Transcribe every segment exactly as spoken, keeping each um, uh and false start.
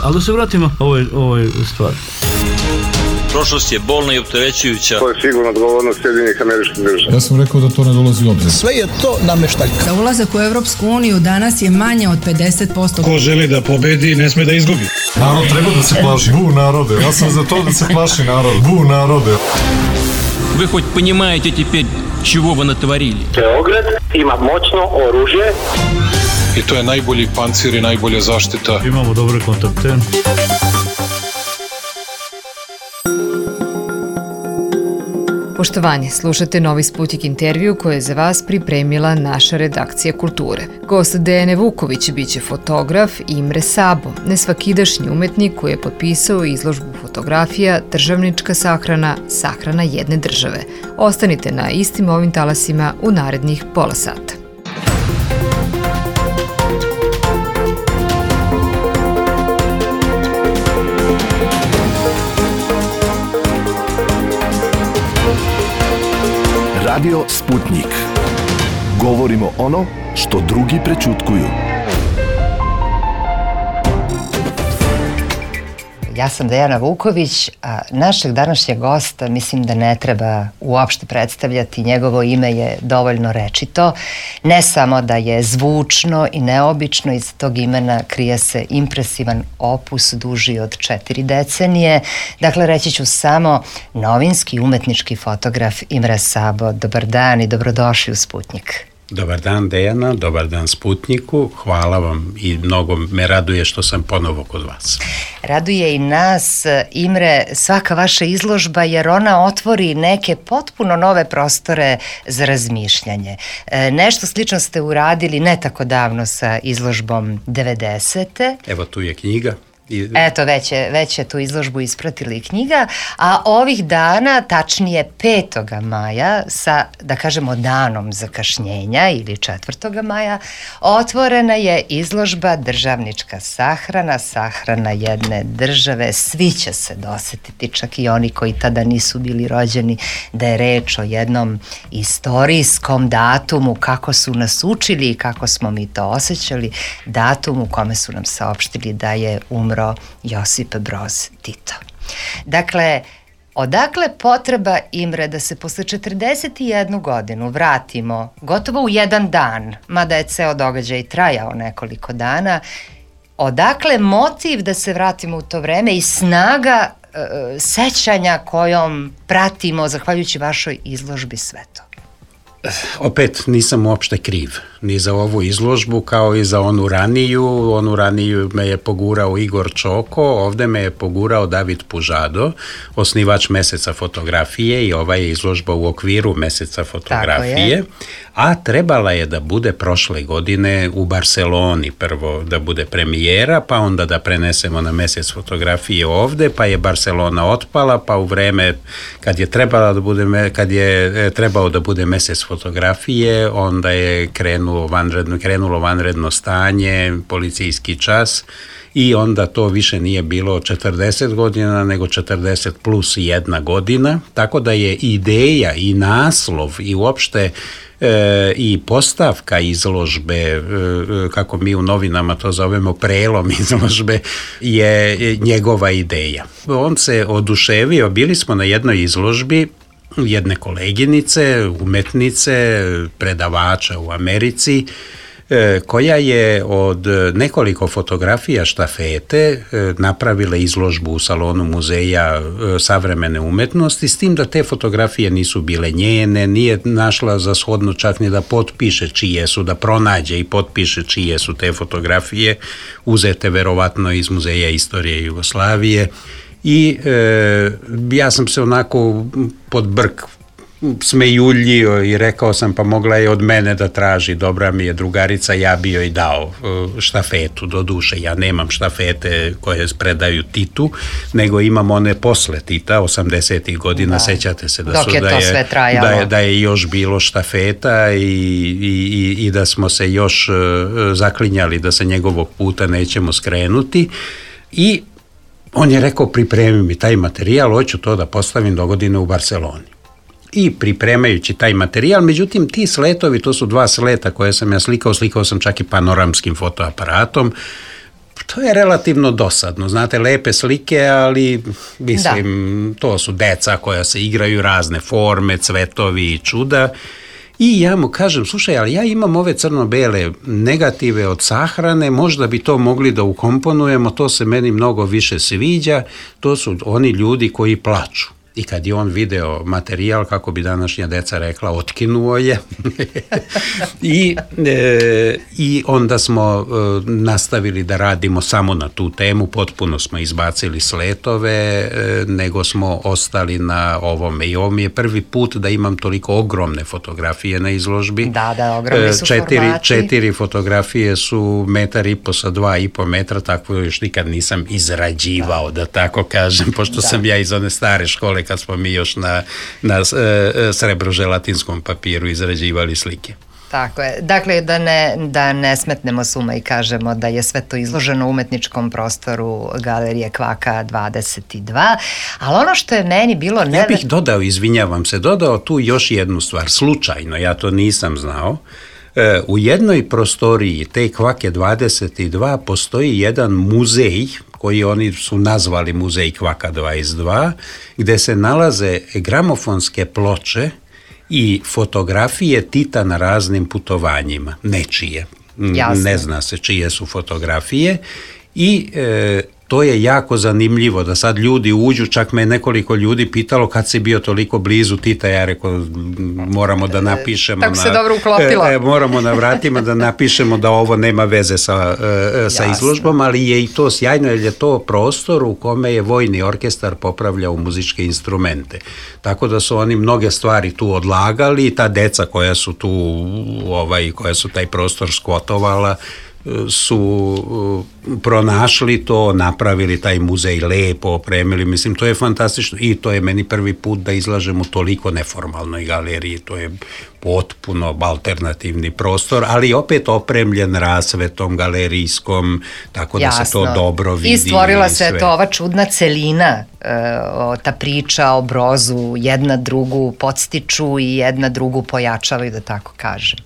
Ali da se vratimo ovoj, ovoj stvari. Prošlost je bolna i opterećujuća. To je sigurno odgovornost Sjedinjenih Američkih Država. Ja sam rekao da to ne dolazi u obzir. Sve je to nameštaljka. Za ulazak u Evropsku uniju danas je manje od pedeset posto. Ko želi da pobedi, ne sme da izgubi. Narod treba da se plaši. Bu narode. Ja sam za to da se plaši narod. Bu narode. Вы хоть понимаете теперь, чего вы натворили? Beograd ima moćno oružje. I to je najbolji pancir i najbolja zaštita. Imamo dobre kontakte. Poštovanje, slušate Novi Sputnik intervju koje je za vas pripremila naša redakcija kulture. Gost Dejane Vuković biće fotograf Imre Sabo, nesvakidašnji umetnik koji je potpisao izložbu fotografija Državnička sahrana, sahrana jedne države. Ostanite na istim ovim talasima u narednih pola sata. Radio Sputnik. Govorimo ono što drugi prećutkuju. Ja sam Dejana Vuković, a našeg današnjeg gosta mislim da ne treba uopšte predstavljati. Njegovo ime je dovoljno rečito. Ne samo da je zvučno i neobično, iz tog imena krije se impresivan opus duži od četiri decenije. Dakle, reći ću samo novinski umetnički fotograf Imre Sabo. Dobar dan i dobrodošli u Sputnik. Dobar dan Dejana, dobar dan Sputniku, hvala vam i mnogo me raduje što sam ponovo kod vas. Raduje i nas, Imre, svaka vaša izložba jer ona otvori neke potpuno nove prostore za razmišljanje. E, nešto slično ste uradili ne tako davno sa izložbom devedesete. Evo tu je knjiga. Eto, već je, već je tu izložbu ispratila i knjiga, a ovih dana, tačnije petoga maja, sa, da kažemo, danom zakašnjenja ili četvrtoga maja, otvorena je izložba Državnička sahrana, sahrana jedne države. Svi će se dosetiti, čak i oni koji tada nisu bili rođeni, da je reč o jednom istorijskom datumu, kako su nas učili i kako smo mi to osjećali, datum u kome su nam saopštili da je umro Josip Broz Tito. Dakle, odakle potreba, Imre, da se posle četrdeset jednu godinu vratimo gotovo u jedan dan, mada je ceo događaj trajao nekoliko dana, odakle motiv da se vratimo u to vreme i snaga e, sećanja kojom pratimo, zahvaljujući vašoj izložbi, sve to? Opet nisam uopšte kriv ni za ovu izložbu kao i za onu raniju. Onu raniju me je pogurao Igor Čoko, ovde me je pogurao David Pužado, osnivač Meseca fotografije, i ova je izložba u okviru Meseca fotografije. A trebala je da bude prošle godine u Barseloni, prvo da bude premijera, pa onda da prenesemo na Mesec fotografije ovde, pa je Barselona otpala, pa u vreme kad je trebala da bude, kad je trebao da bude Mesec fotografije, onda je krenulo vanredno, krenulo vanredno stanje, policijski čas, i onda to više nije bilo četrdeset godina, nego četrdeset plus jedna godina, tako da je ideja i naslov i uopšte E, i postavka izložbe, e, kako mi u novinama to zovemo prelom izložbe, je njegova ideja. On se oduševio, bili smo na jednoj izložbi jedne koleginice, umetnice, predavača u Americi, koja je od nekoliko fotografija štafete napravila izložbu u salonu muzeja savremene umetnosti, s tim da te fotografije nisu bile njene, nije našla za shodno čak ni da potpiše čije su, da pronađe i potpiše čije su te fotografije, uzete verovatno iz Muzeja istorije Jugoslavije, i e, ja sam se onako pod brk smejuljio i rekao sam, pa mogla je od mene da traži, dobra mi je drugarica, ja bi joj dao štafetu. Do duše, ja nemam štafete koje predaju Titu, nego imam one posle Tita, osamdesetih godina, da. Sećate se da, su, je da, je, da, je, da je još bilo štafeta i, i, i da smo se još zaklinjali da se njegovog puta nećemo skrenuti, i on je rekao, pripremi mi taj materijal, hoću to da postavim do godine u Barseloni. I pripremajući taj materijal, međutim ti sletovi, to su dva sleta koje sam ja slikao, slikao sam čak i panoramskim fotoaparatom, To je relativno dosadno, znate, lepe slike, ali mislim, da. To su deca koja se igraju razne forme, cvetovi i čuda. I ja mu kažem, slušaj, ali ja imam ove crno-bele negative od sahrane, možda bi to mogli da ukomponujemo, to se meni mnogo više sviđa, to su oni ljudi koji plaču. I kad je on video materijal, kako bi današnja deca rekla, otkinuo je. I, e, I onda smo e, nastavili da radimo samo na tu temu, potpuno smo izbacili sletove, e, nego smo ostali na ovome. I ovo mi je prvi put da imam toliko ogromne fotografije na izložbi. Da, da, ogromni su četiri, formati. Četiri fotografije su metar i po sa dva i po metra, tako još nikad nisam izrađivao, da, da tako kažem, pošto da. sam ja iz one stare škole, kad smo mi još na, na e, srebro-želatinskom papiru izrađivali slike. Tako je. Dakle, da ne, da ne smetnemo s uma i kažemo da je sve to izloženo u umetničkom prostoru Galerije Kvaka dvadeset dva, ali ono što je meni bilo... Neve... Ja bih dodao, izvinjavam se, dodao tu još jednu stvar, slučajno, ja to nisam znao. E, u jednoj prostoriji te Kvake dvadeset dva postoji jedan muzej, koji oni su nazvali muzej Kvaka dvadeset dva, gde se nalaze gramofonske ploče i fotografije Tita na raznim putovanjima, nečije. Jasne. Ne zna se čije su fotografije i e, to je jako zanimljivo da sad ljudi uđu, čak me nekoliko ljudi pitalo kad si bio toliko blizu Tita, ja rekao moramo da napišemo tako na, se dobro uklopilo. E, moramo na vratima da napišemo da ovo nema veze sa, e, sa izložbom, ali je i to sjajno jer je to prostor u kome je vojni orkestar popravljao muzičke instrumente. Tako da su oni mnoge stvari tu odlagali i ta deca koja su tu, ovaj, koja su taj prostor skvotovala, su pronašli to, napravili taj muzej lepo, opremili, mislim, to je fantastično i to je meni prvi put da izlažem u toliko neformalnoj galeriji, to je potpuno alternativni prostor, ali opet opremljen rasvetom galerijskom, tako da Jasno. se to dobro vidi. I stvorila i se to ova čudna celina, o, ta priča o Brozu, jedna drugu podstiču i jedna drugu pojačavaju, da tako kažem.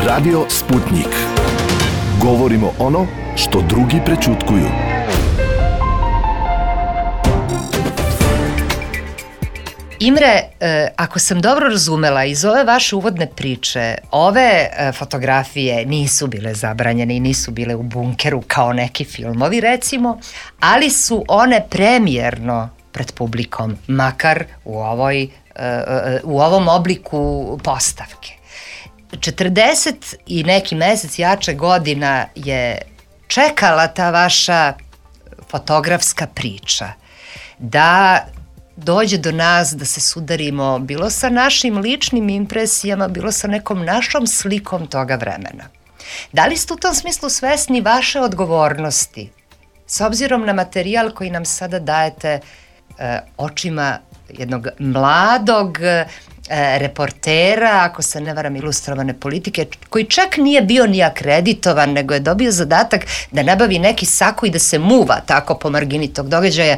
Radio Sputnik. Govorimo ono što drugi prećutkuju. Imre, ako sam dobro razumela, iz ove vaše uvodne priče, ove fotografije nisu bile zabranjene i nisu bile u bunkeru kao neki filmovi, recimo, ali su one premijerno pred publikom, makar u, ovoj, u ovom obliku postavke. četrdeset i neki mesec jače godina je čekala ta vaša fotografska priča da dođe do nas, da se sudarimo bilo sa našim ličnim impresijama, bilo sa nekom našom slikom toga vremena. Da li ste u tom smislu svesni vaše odgovornosti s obzirom na materijal koji nam sada dajete e, očima jednog mladog e, reportera, ako se ne varam, ilustrovane politike, koji čak nije bio ni akreditovan, nego je dobio zadatak da nabavi neki sako i da se muva tako po margini tog događaja,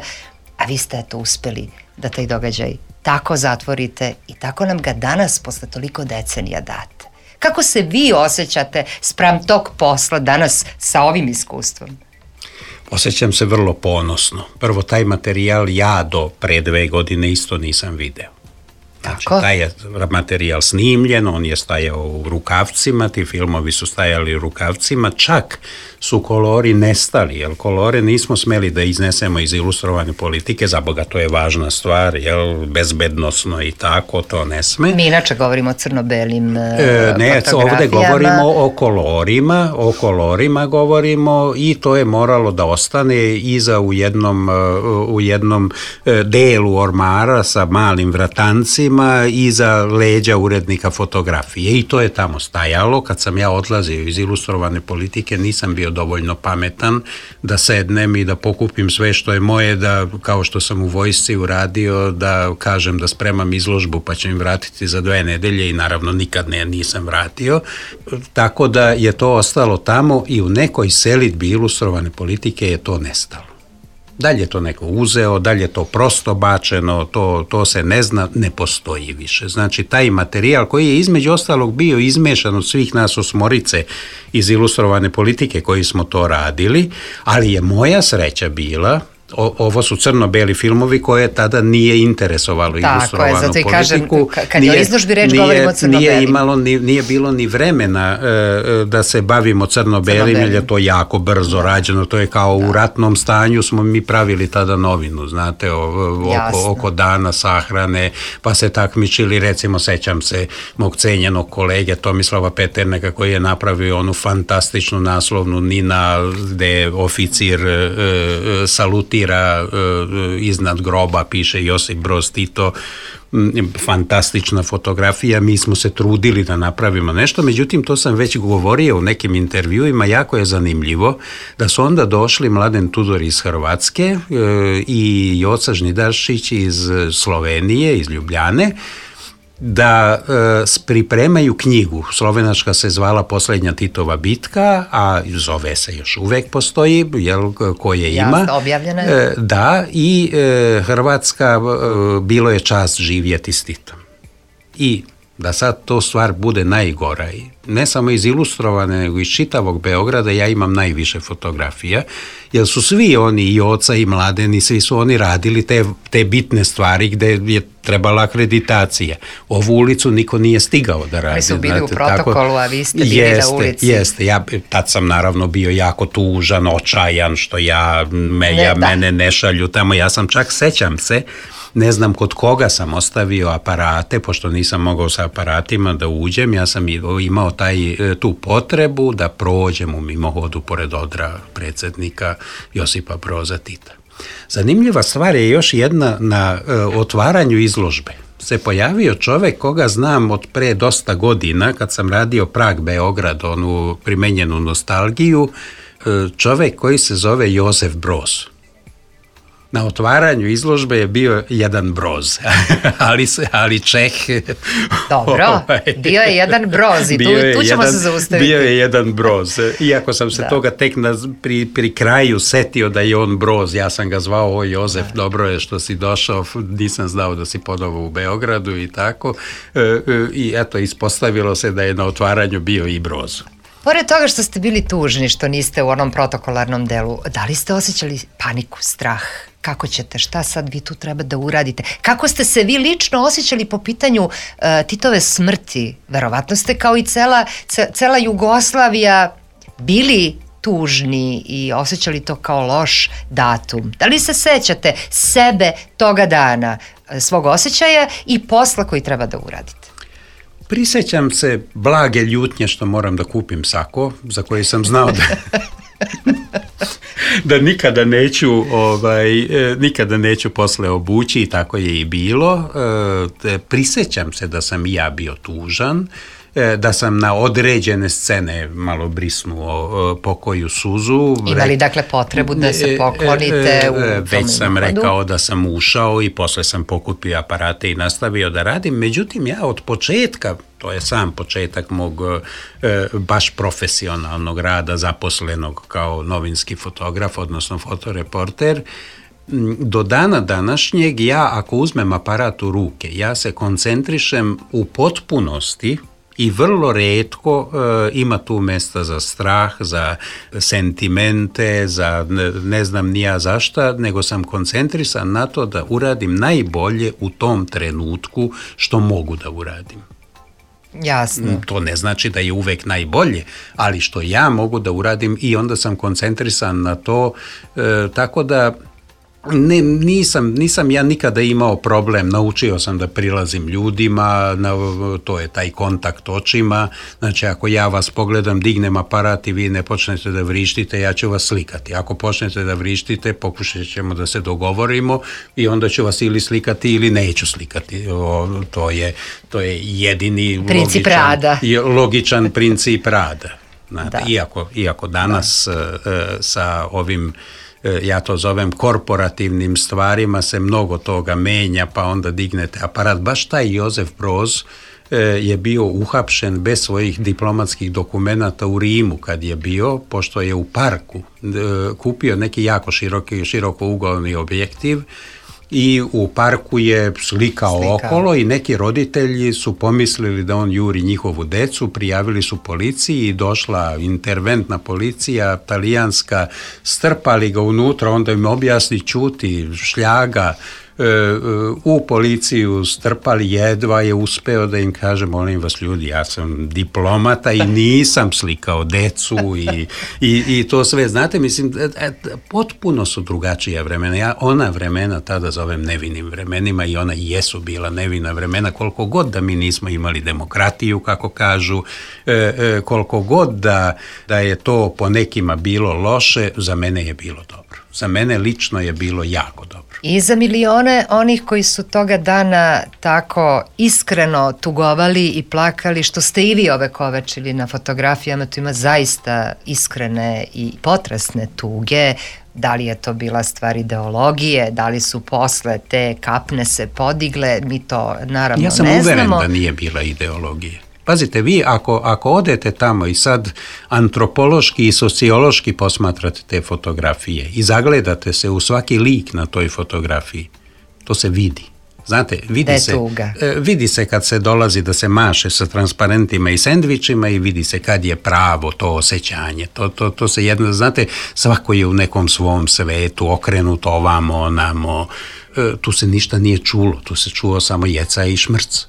a vi ste eto uspeli da taj događaj tako zatvorite i tako nam ga danas posle toliko decenija date. Kako se vi osjećate spram tog posla danas sa ovim iskustvom? Osjećam se vrlo ponosno. Prvo, taj materijal ja do pre dve godine isto nisam video. Znači, Tako? taj je materijal snimljen, on je stajao u rukavcima, ti filmovi su stajali u rukavcima, čak su kolori nestali, jer kolore nismo smeli da iznesemo iz ilustrovane politike, za Boga to je važna stvar, jel, bezbednosno i tako, to ne sme. Mi inače govorimo o crno-belim e, ne, ovde govorimo o kolorima, o kolorima govorimo i to je moralo da ostane iza u jednom, u jednom delu ormara sa malim vratancima iza leđa urednika fotografije i to je tamo stajalo. Kad sam ja odlazio iz ilustrovane politike nisam bio dovoljno pametan da sednem i da pokupim sve što je moje, da kao što sam u vojsci uradio, da kažem da spremam izložbu pa ću im vratiti za dve nedelje i naravno nikad ne nisam vratio. Tako da je to ostalo tamo i u nekoj selidbi ilustrovane politike je to nestalo. Da li je to neko uzeo, da li je to prosto bačeno, to, to se ne zna, ne postoji više. Znači, taj materijal koji je između ostalog bio izmešan od svih nas osmorice iz Ilustrovane politike koji smo to radili, ali je moja sreća bila, o, ovo su crno-beli filmovi koje tada nije interesovalo Tako Ilustrovanu je, zato i politiku. kažem, kad je o izložbi reč nije, govorimo o crno-belim. Nije, imalo, ni, nije bilo ni vremena e, da se bavimo crno-belim, jer je to jako brzo rađeno, to je kao da. U ratnom stanju smo mi pravili tada novinu, znate, o, oko, oko dana sahrane, pa se takmičili, recimo, sećam se mog cenjenog kolege Tomislava Peterneka koji je napravio onu fantastičnu naslovnu Nina, gde oficir e, e, saluti iznad groba piše Josip Broz Tito, fantastična fotografija, mi smo se trudili da napravimo nešto, međutim to sam već govorio u nekim intervjuima, jako je zanimljivo da su onda došli Mladen Tudor iz Hrvatske i Joca Žnidaršić iz Slovenije, iz Ljubljane, da e, pripremaju knjigu. Slovenačka se zvala Posljednja Titova bitka, a zove se još uvek postoji, jel, koje ima. Jasno, objavljena je. E, da, i e, Hrvatska, e, bilo je čast živjeti s Titom. I da sad to stvar bude najgora, ne samo iz Ilustrovane, nego iz čitavog Beograda, ja imam najviše fotografija, jer su svi oni, i Joca i Mladen, i svi su oni radili te, te bitne stvari gde je trebala akreditacija. Ovu ulicu niko nije stigao da radi. Mi su bili znate, u protokolu, tako, a vi ste bili jeste, na ulici. Jeste, ja tad sam naravno bio jako tužan, očajan, što ja, me, ne, ja mene ne šalju tamo, ja sam čak, sećam se, ne znam kod koga sam ostavio aparate, pošto nisam mogao sa aparatima da uđem, ja sam imao taj, tu potrebu da prođem u mimohodu pored odra predsjednika Josipa Broza Tita. Zanimljiva stvar je još jedna, na e, otvaranju izložbe se pojavio čovek koga znam od pre dosta godina, kad sam radio Prag Beograd, onu primenjenu nostalgiju, e, čovek koji se zove Jozef Broz. Na otvaranju izložbe je bio jedan Broz, ali, ali Čeh... Dobro, bio je jedan Broz i tu, tu ćemo jedan, se zaustaviti. Bio je jedan Broz, iako sam se da. toga tek na, pri, pri kraju setio da je on Broz, ja sam ga zvao, o Jozef, da. dobro je što si došao, nisam znao da si ponovo u Beogradu i tako, e, e, i eto, ispostavilo se da je na otvaranju bio i Broz. Pored toga što ste bili tužni, što niste u onom protokolarnom delu, da li ste osjećali paniku, strah? Kako ćete, šta sad vi tu treba da uradite? Kako ste se vi lično osjećali po pitanju uh, Titove smrti? Verovatno ste kao i cela, ce, cela Jugoslavija bili tužni i osjećali to kao loš datum. Da li se sećate sebe toga dana, svog osjećaja i posla koji treba da uradite? Prisećam se blage ljutnje što moram da kupim sako, za koji sam znao da... da nikada neću ovaj, nikada neću posle obući i tako je i bilo. E, prisećam se da sam i ja bio tužan, e, da sam na određene scene malo brisnuo e, pokoju suzu. Imali dakle potrebu da se poklonite e, e, u tom Već sam hodu. Rekao da sam ušao i posle sam pokupio aparate i nastavio da radim. Međutim, ja od početka, to je sam početak mog e, baš profesionalnog rada, zaposlenog kao novinski fotograf, odnosno fotoreporter, do dana današnjeg ja ako uzmem aparat u ruke, ja se koncentrišem u potpunosti i vrlo retko e, ima tu mesta za strah, za sentimente, za ne, ne znam ni ja zašta, nego sam koncentrisan na to da uradim najbolje u tom trenutku što mogu da uradim. Jasno. To ne znači da je uvek najbolje, ali što ja mogu da uradim i onda sam koncentrisan na to, e, tako da ne, nisam, nisam ja nikada imao problem, naučio sam da prilazim ljudima, na, to je taj kontakt očima, znači ako ja vas pogledam, dignem aparat i vi ne počnete da vrištite, ja ću vas slikati, ako počnete da vrištite, pokušat ćemo da se dogovorimo i onda ću vas ili slikati ili neću slikati, o, to, je, to je jedini princip logičan, rada. logičan princip rada. Znate, iako, iako danas da. sa ovim, ja to zovem korporativnim stvarima, se mnogo toga menja, pa onda dignete aparat. Baš taj Jozef Broz je bio uhapšen bez svojih diplomatskih dokumenata u Rimu kad je bio, pošto je u parku kupio neki jako široki, širokougalni objektiv i u parku je slikao, slikao okolo i neki roditelji su pomislili da on juri njihovu decu, prijavili su policiji i došla interventna policija, talijanska, strpali ga unutra, onda im objasni ćuti, šljaga, u policiju strpali, jedva je uspeo da im kaže, molim vas ljudi, ja sam diplomata i nisam slikao decu i, i, i to sve, znate, mislim, potpuno su drugačija vremena, ja ona vremena tada zovem nevinim vremenima i ona jesu bila nevina vremena, koliko god da mi nismo imali demokratiju, kako kažu, koliko god da, da je to po nekima bilo loše, za mene je bilo dobro. Za mene lično je bilo jako dobro. I za milione onih koji su toga dana tako iskreno tugovali i plakali, što ste i vi ovekovečili na fotografijama, tu ima zaista iskrene i potresne tuge. Da li je to bila stvar ideologije, da li su posle te kapne se podigle, mi to naravno ne znamo. Ja sam uveren da nije bila ideologije. Pazite, vi ako, ako odete tamo i sad antropološki i sociološki posmatrate te fotografije i zagledate se u svaki lik na toj fotografiji, to se vidi. Znate, vidi se, vidi se kad se dolazi da se maše sa transparentima i sendvičima i vidi se kad je pravo to osjećanje. To, to, to se jedno, znate, svako je u nekom svom svetu, okrenut ovamo, onamo, tu se ništa nije čulo, tu se čuo samo jeca i šmrc.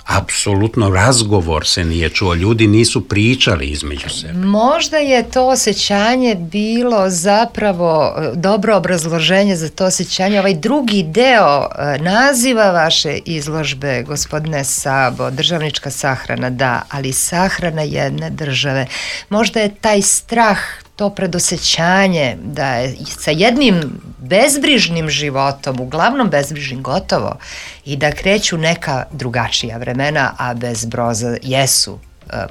Apsolutno razgovor se nije čuo, ljudi nisu pričali između sebe. Možda je to osjećanje bilo zapravo dobro obrazloženje za to osjećanje. Ovaj drugi deo naziva vaše izložbe, gospodine Sabo, državnička sahrana, da, ali sahrana jedne države. Možda je taj strah, to predosjećanje da je sa jednim bezbrižnim životom, uglavnom bezbrižnim gotovo, i da kreću neka drugačija vremena, a bez Broza jesu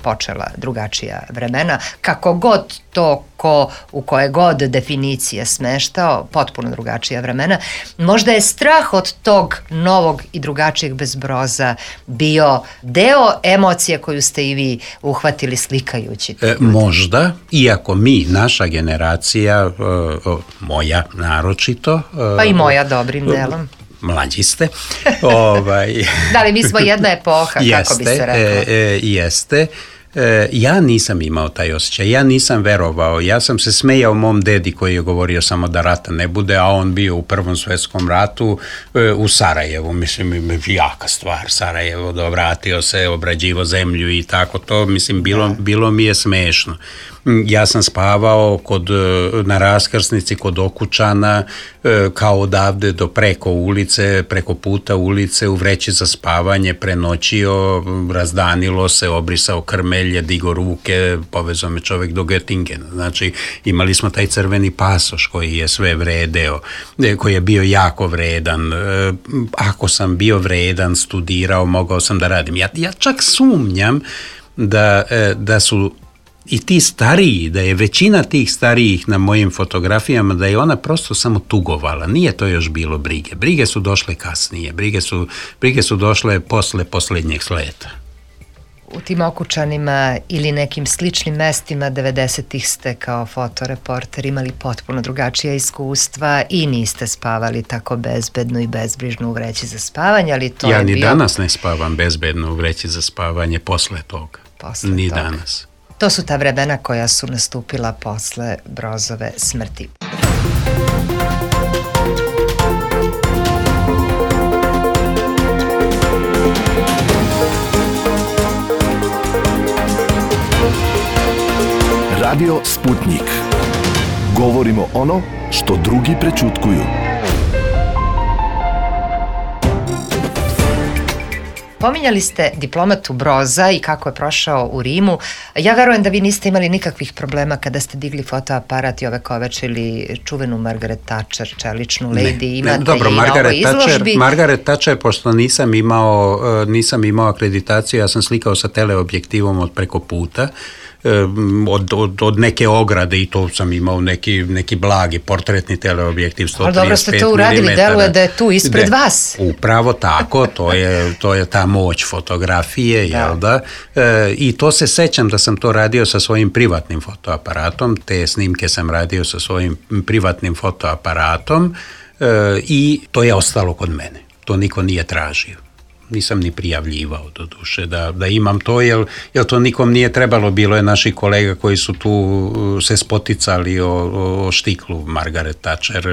počela drugačija vremena, kako god to ko u koje god definicije smeštao, potpuno drugačija vremena. Možda je strah od tog novog i drugačijeg bez Broza bio deo emocije koju ste i vi uhvatili slikajući. E, možda, iako mi, naša generacija, moja naročito, pa i moja dobrim delom, mlađi ste. ovaj, da li mi smo jedna epoha, jeste, kako bi se reklo? E, e, jeste. E, ja nisam imao taj osjećaj, ja nisam verovao, ja sam se smejao mom dedi koji je govorio samo da rata ne bude, a on bio u Prvom svjetskom ratu e, u Sarajevu, mislim, jaka stvar, Sarajevo, da vratio se, obrađivo zemlju i tako to, mislim, bilo, bilo mi je smešno. Ja sam spavao kod, na raskrsnici kod Okučana, kao odavde do preko ulice, preko puta ulice, u vreći za spavanje, prenoćio, razdanilo se, obrisao krmelje, digo ruke, povezao me čovjek do Göttingena. Znači, imali smo taj crveni pasoš koji je sve vredeo, koji je bio jako vredan. Ako sam bio vredan, studirao, mogao sam da radim. Ja, ja čak sumnjam da, da su i ti stariji, da je većina tih starijih na mojim fotografijama, da je ona prosto samo tugovala. Nije to još bilo brige. Brige su došle kasnije. Brige su, brige su došle posle posljednjeg sleta. U tim Okučanima ili nekim sličnim mestima devedesetih ste kao fotoreporter imali potpuno drugačija iskustva i niste spavali tako bezbedno i bezbrižno u vreći za spavanje, ali to ja je ni bio... danas ne spavam bezbedno u vreći za spavanje posle toga. Posle ni toga. danas. To su ta vremena koja su nastupila posle Brozove smrti. Radio Sputnik. Govorimo ono što drugi prećutkuju. Pominjali ste diplomatu Broza i kako je prošao u Rimu. Ja verujem da vi niste imali nikakvih problema kada ste digli fotoaparat i ovekovečili čuvenu Margaret Thatcher, čeličnu lady. Imate ne, dobro, i Margaret na ovoj Thatcher, izložbi. Margaret Thatcher, pošto nisam imao, nisam imao akreditaciju, ja sam slikao sa teleobjektivom od preko puta. od, od, od neke ograde i to sam imao neki, neki blagi portretni teleobjektiv sto trideset pet milimetara. Ali dobro ste to uradili, deluje da je tu ispred De, vas. Upravo tako, to je, to je ta moć fotografije, da. Jel da? E, I to se sećam da sam to radio sa svojim privatnim fotoaparatom, te snimke sam radio sa svojim privatnim fotoaparatom e, i to je ostalo kod mene. To niko nije tražio. Nisam ni prijavljivao do duše da, da imam to, jer, jer to nikom nije trebalo. Bilo je naših kolega koji su tu se spoticali o, o štiklu Margaret Thatcher,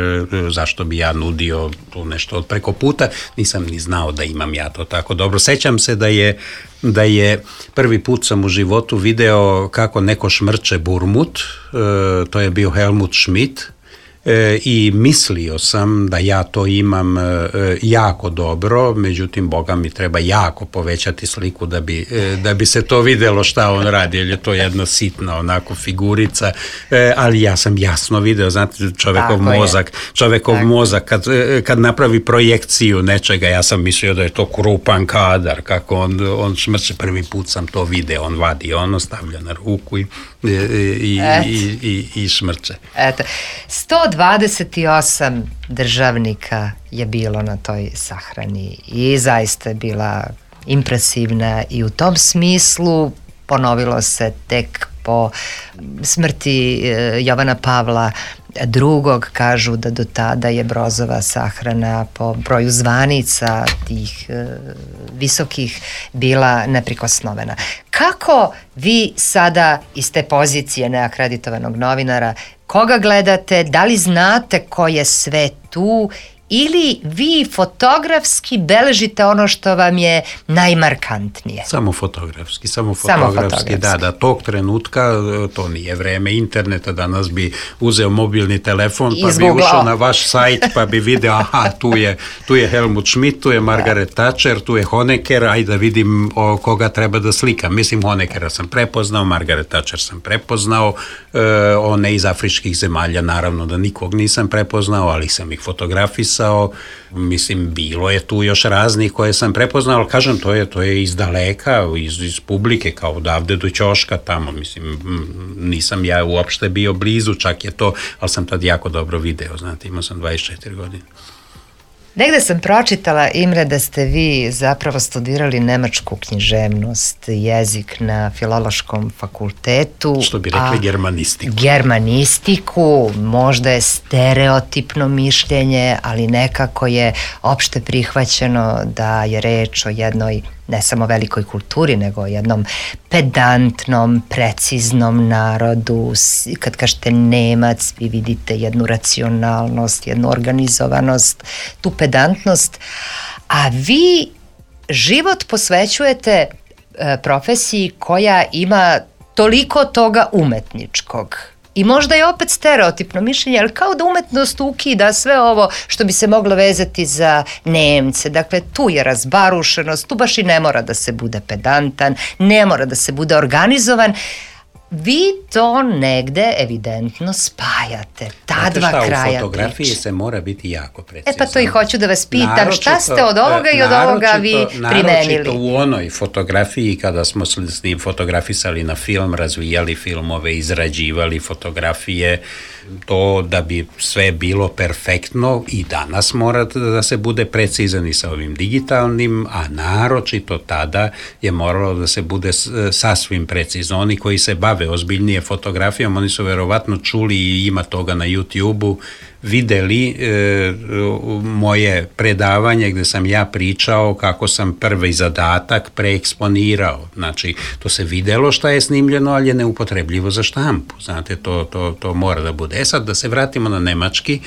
zašto bi ja nudio tu nešto od preko puta. Nisam ni znao da imam ja to tako dobro. Sećam se da je, da je prvi put sam u životu video kako neko šmrče burmut, e, to je bio Helmut Schmidt, E, i mislio sam da ja to imam e, jako dobro, međutim Boga mi treba jako povećati sliku da bi, e, da bi se to videlo šta on radi, jer je to jedna sitna onako figurica, e, ali ja sam jasno video, znate, čovekov Tako mozak je. čovekov Tako. mozak kad, kad napravi projekciju nečega, ja sam mislio da je to krupan kadar, kako on, on šmrče, prvi put sam to video, on vadi ono, stavlja na ruku i, i, i, i, i, i šmrče. Eto, sto dvadeset osam državnika je bilo na toj sahrani i zaista je bila impresivna i u tom smislu ponovilo se tek po smrti Jovana Pavla drugog, kažu da do tada je Brozova sahrana po broju zvanica tih e, visokih bila neprikosnovena. Kako vi sada iz te pozicije neakreditovanog novinara, koga gledate, da li znate ko je sve tu ili vi fotografski beležite ono što vam je najmarkantnije? Samo fotografski, samo fotografski, samo fotografski. Da, da, tog trenutka, to nije vreme interneta, danas bi uzeo mobilni telefon, pa bi ušao na vaš sajt, pa bi video, aha, tu je, tu je Helmut Schmidt, tu je Margaret da. Thatcher, tu je Honecker, ajde da vidim o koga treba da slikam. Mislim, Honeckera sam prepoznao, Margaret Thatcher sam prepoznao, e, one iz afričkih zemalja, naravno da nikog nisam prepoznao, ali sam ih fotografisao. Mislim, bilo je tu još raznih koje sam prepoznao, ali kažem, to je, to je iz daleka, iz, iz publike, kao odavde do ćoška tamo, mislim, nisam ja uopšte bio blizu, čak je to, ali sam tad jako dobro video, znate, imao sam dvadeset četiri godine. Negde sam pročitala, Imre, da ste vi zapravo studirali nemačku književnost, jezik na Filološkom fakultetu. Što bi rekli, germanistiku. Germanistiku, možda je stereotipno mišljenje, ali nekako je opšte prihvaćeno da je reč o jednoj ne samo velikoj kulturi, nego o jednom pedantnom, preciznom narodu. Kad kažete Nemac, vi vidite jednu racionalnost, jednu organizovanost, tu pedantnost, a vi život posvećujete e, profesiji koja ima toliko toga umetničkog. I možda je opet stereotipno mišljenje, ali kao da umetnost ukida sve ovo što bi se moglo vezati za Nemce. Dakle, tu je razbarušenost, tu baš i ne mora da se bude pedantan, ne mora da se bude organizovan. Vi to negde evidentno spajate, ta Znate dva šta, kraja. U fotografiji priče. Se mora biti jako precizan. E pa to i hoću da vas pitam, naročito, šta ste od ovoga i od ovoga vi primenili? Naročito u onoj fotografiji kada smo s njim fotografisali na film, razvijali filmove, izrađivali fotografije, to da bi sve bilo perfektno i danas mora da se bude precizan i sa ovim digitalnim, a naročito tada je moralo da se bude sasvim precizno. Oni koji se bave ozbiljnije fotografijom, oni su verovatno čuli i ima toga na YouTube-u, videli e, moje predavanje gde sam ja pričao kako sam prvi zadatak preeksponirao. Znači, to se videlo šta je snimljeno, ali je neupotrebljivo za štampu. Znate, to, to, to mora da bude. E sad, da se vratimo na nemački,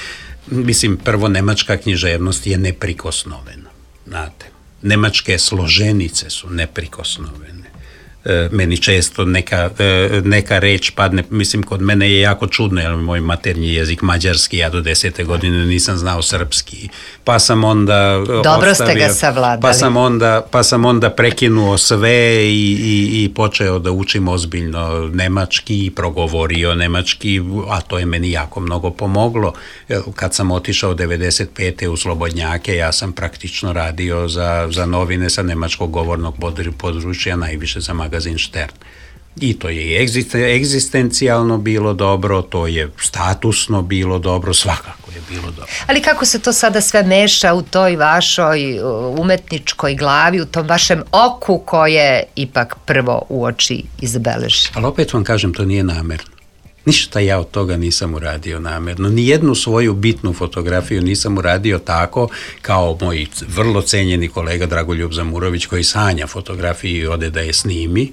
mislim, prvo, nemačka književnost je neprikosnovena. Znate, nemačke složenice su neprikosnovene. Meni često neka, neka reč padne, mislim, kod mene je jako čudno, jer moj maternji jezik mađarski, ja do desete godine nisam znao srpski, pa sam onda Dobro ostavio, ste ga savladali. Pa sam onda, pa sam onda prekinuo sve i, i, i počeo da učim ozbiljno nemački i progovorio nemački, a to je meni jako mnogo pomoglo. Kad sam otišao devedeset pete u Slobodnjake, ja sam praktično radio za, za novine sa nemačkog govornog područja, najviše za magazin Štern. I to je egzistencijalno bilo dobro, to je statusno bilo dobro, svakako je bilo dobro. Ali kako se to sada sve meša u toj vašoj umetničkoj glavi, u tom vašem oku koje ipak prvo u oči izabeleži? Ali opet vam kažem, to nije namerno. Ništa ja od toga nisam uradio namerno. Nijednu svoju bitnu fotografiju nisam uradio tako kao moj vrlo cenjeni kolega Dragoljub Zamurović koji sanja fotografiju i ode da je snimi.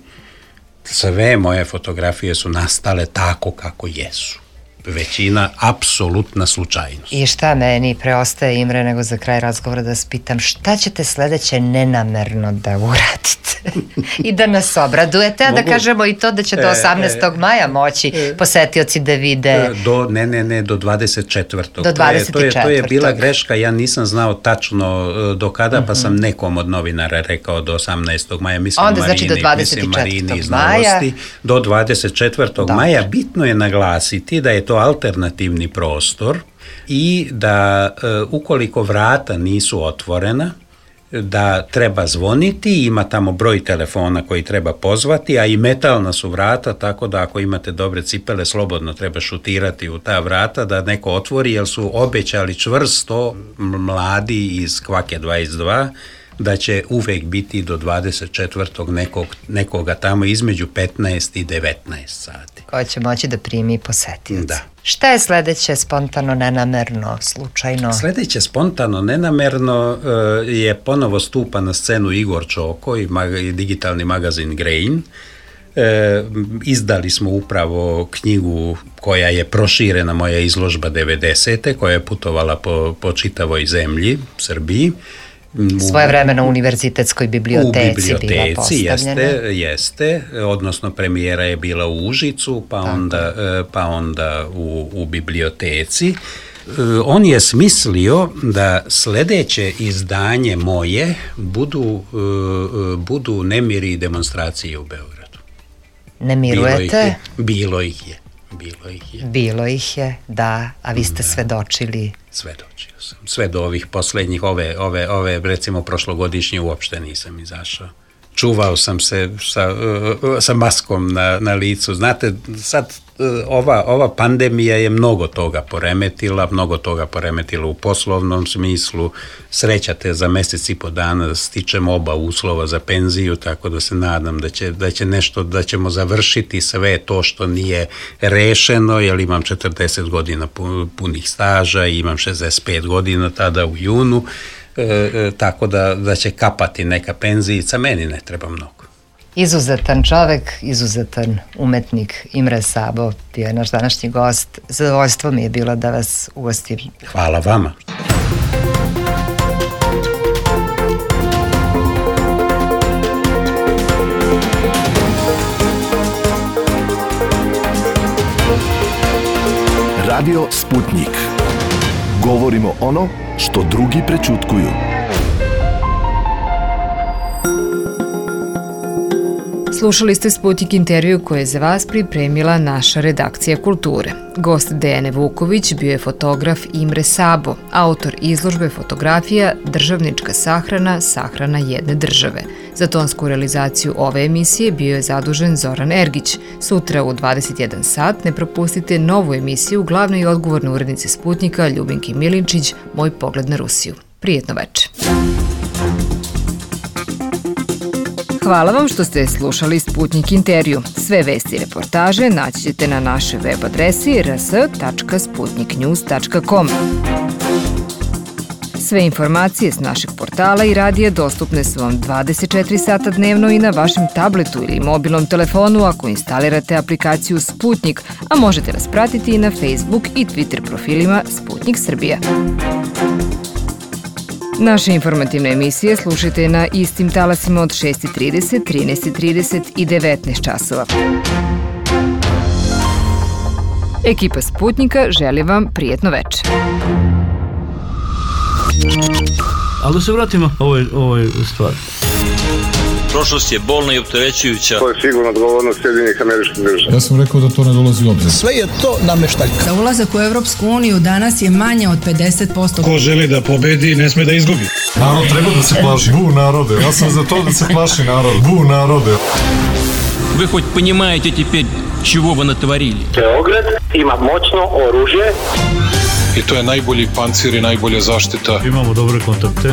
Sve moje fotografije su nastale tako kako jesu. Većina apsolutna slučajnost. I šta meni preostaje, Imre, nego za kraj razgovora da vas pitam, šta ćete sledeće nenamerno da uradite i da nas obradujete, a da kažemo i to da će do osamnaestog maja moći posetioci da vide... Do, ne, ne, ne, do dvadeset četvrtog Do dvadeset četvrtog. To je, to je bila greška, ja nisam znao tačno do kada, uh-huh. pa sam nekom od novinara rekao do osamnaestog maja, mislim Onda, Marini, znači do dvadeset četvrtog maja. Do dvadeset četvrtog maja bitno je naglasiti da je to alternativni prostor i da e, ukoliko vrata nisu otvorena, da treba zvoniti, ima tamo broj telefona koji treba pozvati, a i metalna su vrata, tako da ako imate dobre cipele, slobodno treba šutirati u ta vrata da neko otvori, jer su obećali čvrsto mladi iz Kvake dvadeset dva da će uvek biti do dvadeset četvrtog nekog, nekoga tamo između petnaest i devetnaest sati. Ko će moći da primi posetioci. Da. Šta je sledeće spontano, nenamerno, slučajno? Sledeće spontano, nenamerno je ponovo stupa na scenu Igor Čoko i, mag, i digitalni magazin Grain. E, izdali smo upravo knjigu koja je proširena, moja izložba devedesete, koja je putovala po, po čitavoj zemlji, Srbiji. Svoje vremeno u univerzitetskoj biblioteci, u biblioteci bila postavljena. Jeste, jeste, odnosno premijera je bila u Užicu, pa onda, pa onda u, u biblioteci. On je smislio da sledeće izdanje moje budu, budu nemiri i demonstracije u Beogradu. Ne mirujete? Bilo ih je. Bilo ih je. Bilo ih je, da, a vi ste da. svedočili. Svedočio sam. Sve do ovih poslednjih, ove, ove, ove, recimo prošlogodišnje uopšte nisam izašao. Čuvao sam se sa, sa maskom na, na licu. Znate, sad ova, ova pandemija je mnogo toga poremetila, mnogo toga poremetila u poslovnom smislu. Srećate za mesec i po dana da stičemo oba uslova za penziju, tako da se nadam da će, da će nešto, da ćemo završiti sve to što nije rešeno, jer imam četrdeset godina punih staža i imam šezdeset pet godina tada u junu. E, e, tako da, da će kapati neka penzijica, meni ne treba mnogo. Izuzetan čovek, izuzetan umetnik Imre Sabo bio je naš današnji gost. Zadovoljstvo mi je bilo da vas ugostim. Hvala vama. Radio Sputnik. Govorimo ono što drugi prećutkuju. Slušali ste Sputnik intervju koje je za vas pripremila naša redakcija kulture. Gost Dejane Vuković bio je fotograf Imre Sabo, autor izložbe fotografija Državnička sahrana, sahrana jedne države. Za tonsku realizaciju ove emisije bio je zadužen Zoran Ergić. Sutra u dvadeset jedan sat ne propustite novu emisiju u glavnoj i odgovornoj urednici Sputnika Ljubinki Milinčić, Moj pogled na Rusiju. Prijetno večer. Hvala vam što ste slušali Sputnik intervju. Sve vesti i reportaže naći ćete na našoj web adresi r s tačka sputnik news tačka com. Sve informacije s našeg portala i radija dostupne su vam dvadeset četiri sata dnevno i na vašem tabletu ili mobilnom telefonu ako instalirate aplikaciju Sputnik, a možete nas pratiti i na Facebook i Twitter profilima Sputnik Srbija. Naše informativne emisije slušajte na istim talasima od šest i trideset, trinaest i trideset i devetnaest časova. Ekipa Sputnika želi vam prijetno večer. Ali da se vratimo ovoj, ovoj stvari. Prošlost je bolna i opterećujuća. To je sigurno odgovornost Sjedinjenih Američkih Država. Ja sam rekao da to ne dolazi u obzir. Sve je to nameštaljka. Za ulazak u Evropsku uniju danas je manje od pedeset posto. Ko želi da pobedi, ne sme da izgubi. Narod treba da se plaši. Bu narode. Ja sam za to da se plaši narod. Bu narode. Вы хоть понимаете теперь, чего вы натворили? Beograd ima moćno oružje I to je najbolji pancir i najbolja zaštita. Imamo dobre kontakte.